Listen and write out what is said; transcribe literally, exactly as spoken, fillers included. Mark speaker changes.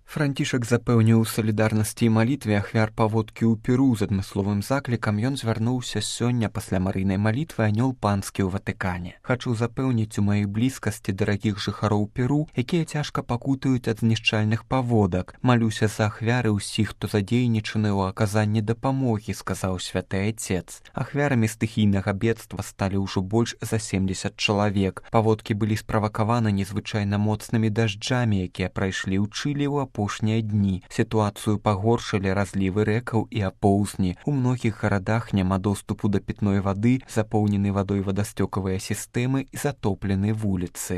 Speaker 1: Францішак запэўніў салідарнасці і малітве ахвяр паводкі ў Перу з адмысловым заклікам. Ён звярнуўся сёння пасля марыйнай малітвы анёл панскі ў Ватыкане. Хачу запэўніць у маёй блізкасці дарагіх жыхароў Перу, якія цяжка пакутаюць ад знішчальных паводак. Малюся за ахвяры ўсіх, хто задзейнічаны ў аказанні дапамогі, сказаў святы айцец. Ахвярамі стыхійнага бедства сталі ўжо больш за семдзесят чалавек. Паводкі былі справакаваны незвычайна моцнымі дажджамі, якія прайшлі ў Чылі ў апошнія дні. Сітуацыю пагоршылі разлівы рэкаў і апоўзні. У многіх гарадах няма доступу да пітной вады, запоўнены вадой вадасцёкавыя сістэмы і затоплены вуліцы.